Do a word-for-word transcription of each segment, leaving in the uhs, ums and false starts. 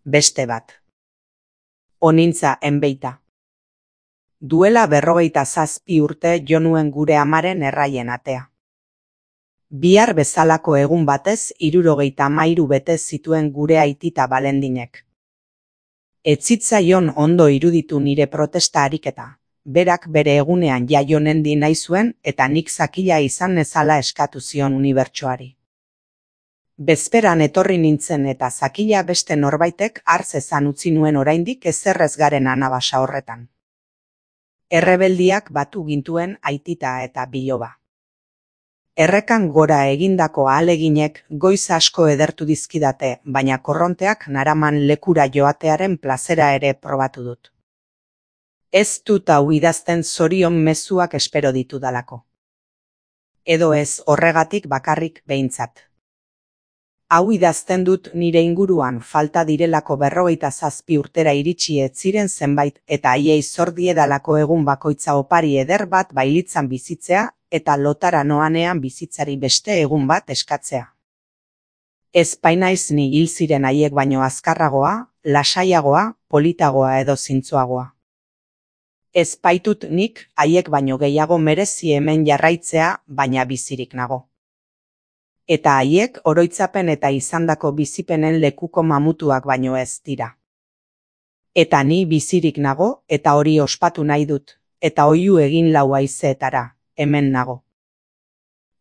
beste bat. Onintza enbeita. Duela berrogeita zazpi urte jo nuen gure amaren erraien atea. Bihar bezalako egun batez hirurogeita hamairu bete zituen gure aitita Balendinek. Ez zitzaion ondo iruditu nire protesta ariketa, berak bere egunean jaio nendi nahi zuen eta nik zakila izan nezala eskatu zion unibertsoari. Bezperan etorri nintzen eta zakila beste norbaitek hartz ezan utzi nuen oraindik ezerrez garen anabasa horretan. Errebeldiak batu gintuen aitita eta biloba. Errekan gora egindako ahaleginek goiz asko edertu dizkidate, baina korronteak naraman lekura joatearen plazera ere probatu dut. Ez dut hau idazten zorion mezuak espero ditudalako. Edo ez horregatik bakarrik behintzat. Hau idazten dut nire inguruan falta direlako berrogeita zazpi urtera iritsi ez ziren zenbait eta haiei zor diedalako egun bakoitza opari eder bat bailitzan bizitzea eta lotara noanean bizitzari beste egun bat eskatzea. Ez bainaiz ni hil ziren haiek baino azkarragoa, lasaiagoa, politagoa edo zintzoagoa. Ez baitut nik haiek baino gehiago merezi hemen jarraitzea, baina bizirik nago. Eta haiek oroitzapen eta izandako bizipenen lekuko mamutuak baino ez dira. Eta ni bizirik nago eta hori ospatu nahi dut, eta oihu egin lau haizeetara, hemen nago.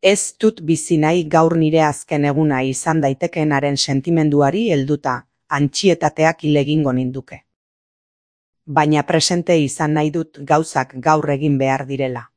Ez dut bizi nahi gaur nire azken eguna izan daitekeenaren sentimenduari helduta, antxietateak hil egingo ninduke. Baina presente izan nahi dut gauzak gaur egin behar direla.